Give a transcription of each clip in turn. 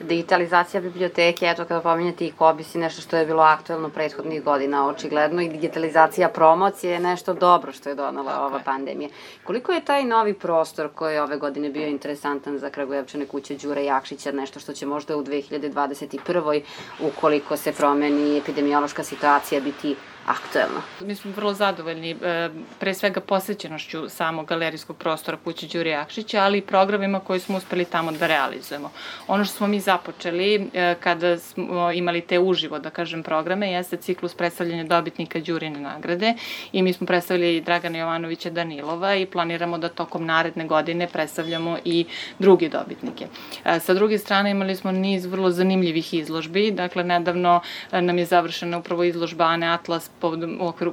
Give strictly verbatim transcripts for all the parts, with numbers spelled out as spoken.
Digitalizacija biblioteke, eto kada pominjate i Kobis i nešto što je bilo aktuelno prethodnih godina, očigledno i digitalizacija promocije je nešto dobro što je donala ova pandemija. Koliko je taj novi prostor koji je ove godine bio interesantan za Kragujevčane, kuće Đure Jakšića, nešto što će možda u dve hiljade dvadeset prvoj ukoliko se promeni epidemiološka situacija biti aktuelno? Mi smo vrlo zadovoljni pre svega posvećenošću samog galerijskog prostora kuće Đure Jakšića, ali i programima koje smo uspeli tamo da realizujemo. Ono što smo mi započeli kada smo imali te uživo, da kažem, programe, jeste ciklus predstavljanja dobitnika Đurine nagrade i mi smo predstavili Dragana Jovanovića Danilova i planiramo da tokom naredne godine predstavljamo i druge dobitnike. Sa druge strane imali smo niz vrlo zanimljivih izložbi, dakle nedavno nam je završena upravo izložba Ane Atlas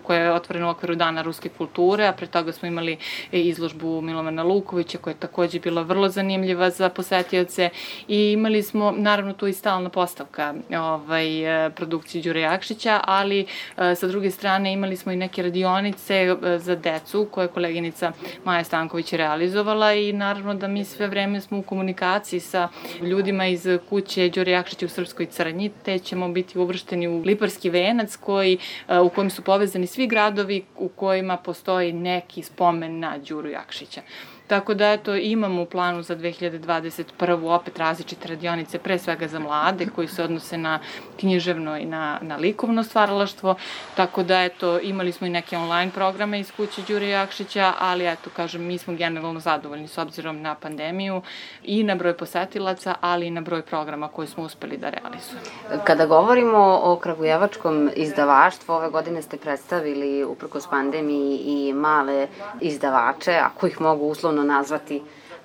koja je otvorena u okviru Dana ruske kulture, a pre toga smo imali izložbu Milovana Lukovića koja je takođe bila vrlo zanimljiva za posetioce i imali smo naravno tu i stalna postavka ovaj, produkcije Đure Jakšića, ali sa druge strane imali smo i neke radionice za decu koje je koleginica Maja Stanković realizovala i naravno da mi sve vreme smo u komunikaciji sa ljudima iz kuće Đure Jakšića u Srpskoj Crnji, te ćemo biti uvršteni u Liparski venac koji u kojim su povezani svi gradovi u kojima postoji neki spomen na Đuru Jakšića. Tako da, eto, imamo u planu za dve hiljade dvadeset prvu opet različite radionice, pre svega za mlade, koji se odnose na književno i na, na likovno stvaralaštvo. Tako da, eto, imali smo i neke online programe iz kuće Đure Jakšića, ali, eto, kažem, mi smo generalno zadovoljni s obzirom na pandemiju i na broj posetilaca, ali i na broj programa koje smo uspeli da realizujemo. Kada govorimo o kragujevačkom izdavaštvu, ove godine ste predstavili, uprkos pandemiji, i male izdavače, ako ih mogu uslovno nazvati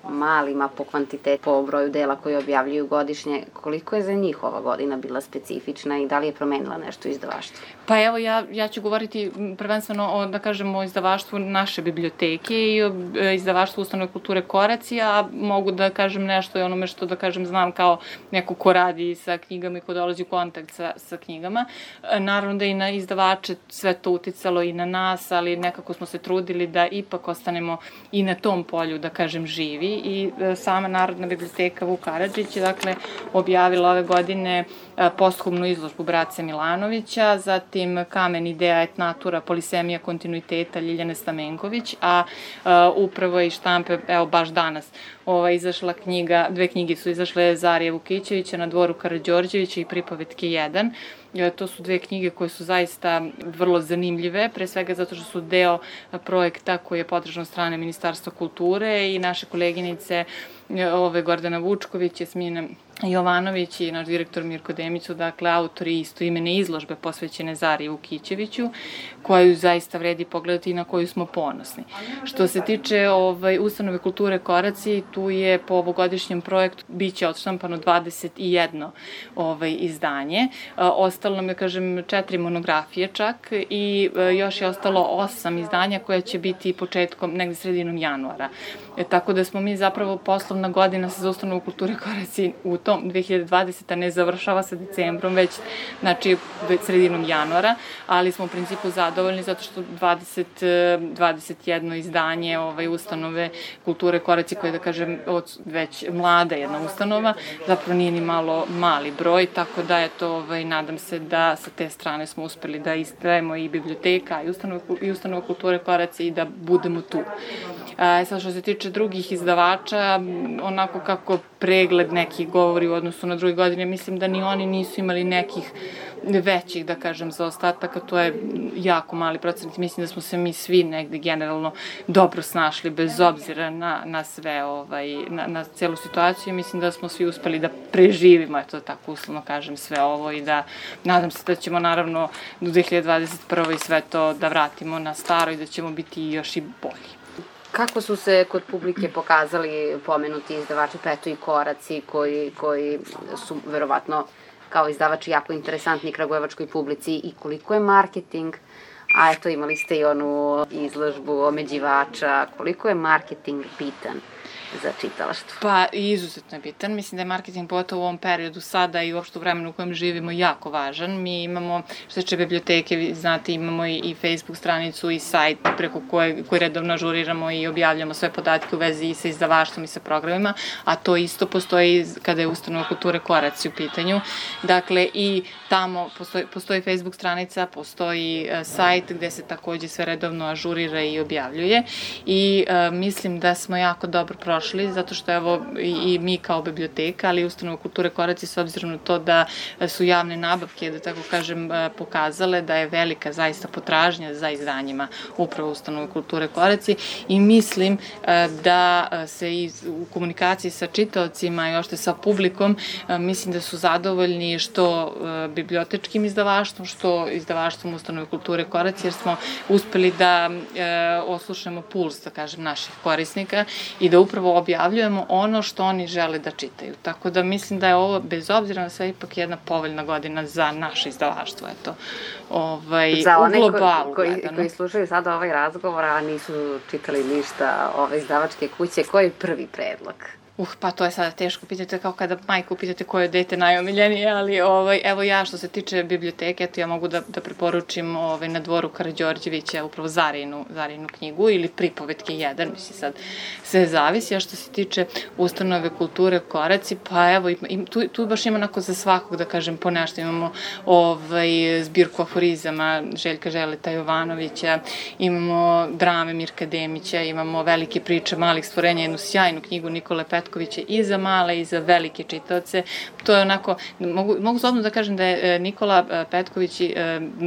malima po kvantitetu, po broju dela koje objavljuju godišnje. Koliko je za njih ova godina bila specifična i da li je promenila nešto u izdavaštvu? Pa evo, ja, ja ću govoriti prvenstveno o, da kažem, o izdavaštvu naše biblioteke i o izdavaštvu Ustanove kulture Koraci, a mogu da kažem nešto i onome što, da kažem, znam kao neko ko radi sa knjigama i ko dolazi u kontakt sa, sa knjigama. Naravno da i na izdavače sve to uticalo i na nas, ali nekako smo se trudili da ipak ostanemo i na tom polju, da kažem, živi. I sama Narodna biblioteka Vuk Karadžić je, dakle, objavila ove godine posthumnu izložbu Brace Milanovića, zatim Kamen, ideja, et natura, polisemija kontinuiteta Ljiljane Stamenković, a upravo i štampe, evo baš danas, ova, izašla knjiga, dve knjige su izašle Zarije Vukićevića Na dvoru Karađorđevića i Pripovetke jedan. To su dve knjige koje su zaista vrlo zanimljive, pre svega zato što su deo projekta koji je podržan od strane Ministarstva kulture i naše koleginice ove Gordana Vučković, Jasmina Jovanović i naš direktor Mirko Demić su, dakle, autori istoimene izložbe posvećene Zariji Vukićeviću, koju zaista vredi pogledati i na koju smo ponosni. Što se tiče ovaj, Ustanove kulture Koraci, tu je po ovogodišnjem projektu biće odštampano dvadeset jedno ovaj, izdanje. Ostalo nam je, kažem, četiri monografije čak i još je ostalo osam izdanja koja će biti početkom, negde sredinom januara. E, tako da smo mi zapravo poslovna godina sa Ustanovom kulture Koraci u tom dve hiljade dvadeseta ne završava sa decembrom, već, znači, sredinom januara, ali smo u principu zadovoljni zato što dvadeset, dvadeset jedno izdanje ovaj, Ustanove kulture Koraci, koja je, da kažem, već mlada jedna ustanova, zapravo nije ni malo mali broj, tako da, eto, ovaj, nadam se da sa te strane smo uspeli da izdajemo i biblioteka i Ustanova, i Ustanova kulture Koraci i da budemo tu. E, sad, što se tiče drugih izdavača, onako kako pregled neki govori u odnosu na druge godine, mislim da ni oni nisu imali nekih većih, da kažem, zaostataka, to je jako mali procent. Mislim da smo se mi svi negde generalno dobro snašli, bez obzira na, na sve, ovaj, na, na celu situaciju. Mislim da smo svi uspeli da preživimo, eto tako uslovno kažem, sve ovo i da nadam se da ćemo naravno do dve hiljade dvadeset prve i sve to da vratimo na staro i da ćemo biti još i bolji. Kako su se kod publike pokazali pomenuti izdavači Peto i Koraci, koji, koji su verovatno kao izdavači jako interesantni kragujevačkoj publici, i koliko je marketing, a eto imali ste i onu izložbu omeđivača, koliko je marketing bitan za čitalaštvo? Pa, izuzetno je bitan. Mislim da je marketing pogotovo u ovom periodu sada i uopšte u vremenu u kojem živimo jako važan. Mi imamo, što se tiče biblioteke, vi znate, imamo i, i Facebook stranicu i sajt preko koje, koji redovno ažuriramo i objavljamo sve podatke u vezi i sa izdavaštvom i sa programima, a to isto postoji kada je ustanova kulture Koraci u pitanju. Dakle, i tamo postoji, postoji Facebook stranica, postoji uh, sajt gde se takođe sve redovno ažurira i objavljuje i uh, mislim da smo jako dobro prošli, zato što evo i, i mi kao biblioteka, ali i ustanova kulture Koraci, s obzirom na to da su javne nabavke, da tako kažem, pokazale da je velika zaista potražnja za izdanjima upravo ustanove kulture Koraci i mislim da se i u komunikaciji sa čitaocima i ošte sa publikom mislim da su zadovoljni što bibliotečkim izdavaštvom, što izdavaštvom ustanove kulture Koraci, jer smo uspeli da oslušnemo puls, da kažem, naših korisnika i da upravo objavljujemo ono što oni žele da čitaju. Tako da mislim da je ovo, bez obzira na sve, ipak jedna povoljna godina za naše izdavaštvo, eto, ovaj, za one u globalu koji, gledano. koji slušaju sada ovaj razgovor, a nisu čitali ništa ove izdavačke kuće, koji je prvi predlog? Uh, pa to je sada teško pitati, kao kada majku pitate koje je dete najomiljenije, ali ovaj, evo ja što se tiče biblioteke, eto ja mogu da, da preporučim ovaj, Na dvoru Karađorđevića upravo Zarinu, Zarinu knjigu ili Pripovetke jedan, mislim sad sve zavisi, a što se tiče ustanove kulture Koraci, pa evo im, tu, tu baš ima onako za svakog, da kažem, po nešto, imamo ovaj, zbirku aforizama Željka Želeta Jovanovića, imamo drame Mirka Demića, imamo velike priče malih stvorenja, jednu sjajnu knjigu Nikole Petkovića i za male i za velike čitaoce. To je onako, mogu, mogu slobodno da kažem da je Nikola Petković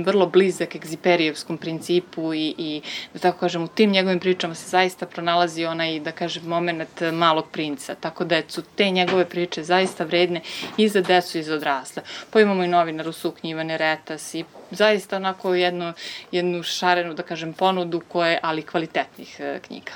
vrlo blizak egziperijevskom principu i, i da tako kažem, u tim njegovim pričama se zaista pronalazi onaj, da kažem, moment Malog princa. Tako da su te njegove priče zaista vredne i za decu i za odrasle. Pa imamo i novinaru Suknje Ivane Retas i zaista onako jednu, jednu šarenu, da kažem, ponudu koje, ali kvalitetnih knjiga.